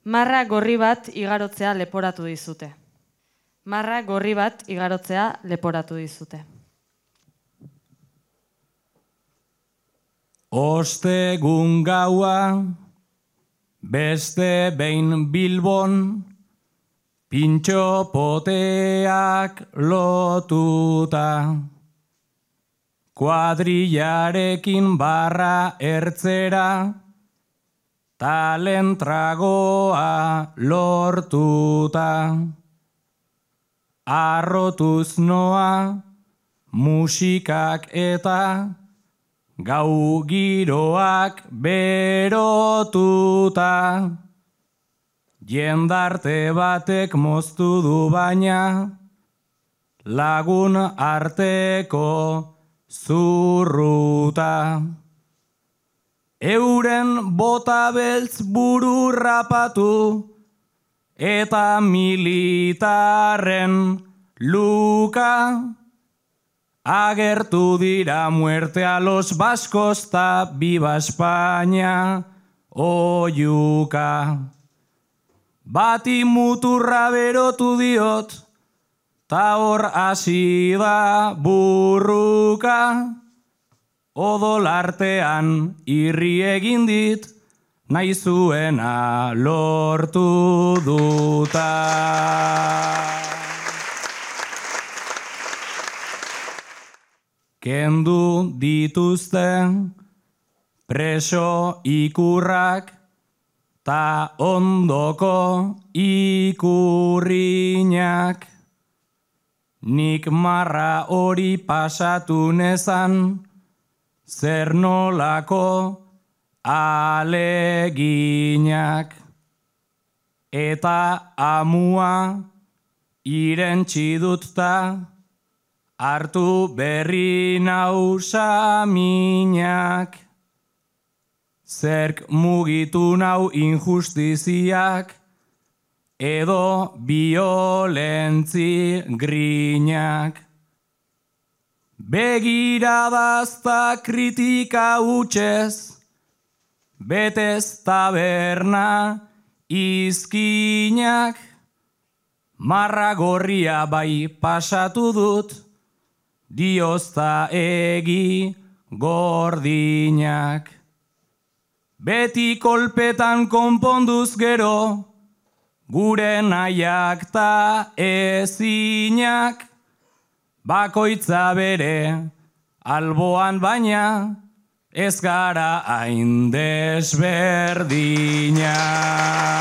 Marra gorri bat igarotzea leporatu dizute. Marra gorri bat igarotzea leporatu dizute. Ostegun gaua, beste behin Bilbon, pintxo poteak lotuta. Kuadrillarekin barra ertzera, talentragoa lortuta. Arrotuz noa, musikak eta gau giroak berotuta. Jendarte batek moztu du baina, lagun arteko zurruta. Euren bota beltz buru rapatu, eta militarren luka. Agertu dira muerte a los vascos ta viva España oiuka. Bati muturra berotu diot, ta hor hasi da burruka. Odol artean irri egin dit, nahi zuena lortu duta. Kendu dituzte preso ikurrak ta ondoko ikurriñak. Nik marra hori pasatu nezan, zer nolako aleginak. Eta amua irentsi dut ta, hartu berri nau saminak. Zerk mugitu nau injustiziak, edo biolentzi grinak. Begiradazta kritika utxez, betez taberna izkinak. Marra gorria bai pasatu dut, diozta egi gordinak. Beti kolpetan konponduz gero, gure nahiak ta ezinak. Bakoitza bere alboan baina, ez gara hain desberdinak.